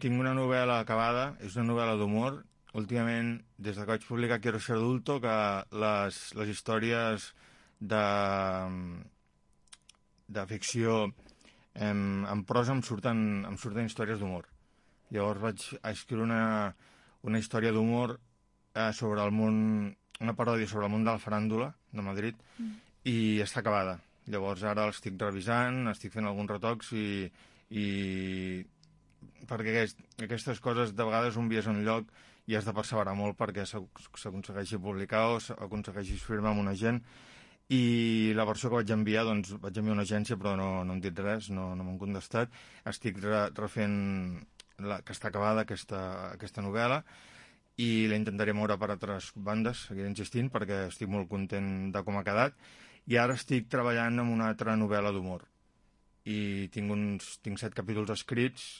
Tinc una novel·la acabada, és una novel·la d'humor. Últimament, des que vaig publicar Quiero ser adulto, que les històries de ficció en prosa em surten històries d'humor. Llavors vaig escriure una història d'humor sobre el món, una paròdia sobre el món de la faràndula de Madrid, i està acabada. Llavors ara l'estic revisant, estic fent alguns retocs i perquè aquestes coses de vegades un vies un lloc i has de perseverar molt perquè s'aconsegueixi publicar o s'aconsegueixi firmar amb una gent. I la versió que vaig enviar, doncs vaig enviar a una agència però no han dit res, no m'han contestat. Estic refent que està acabada aquesta novel·la i la intentaré moure per altres bandes, seguiré insistint perquè estic molt content de com ha quedat. I ara estic treballant en una altra novel·la d'humor i tinc 7 capítols escrits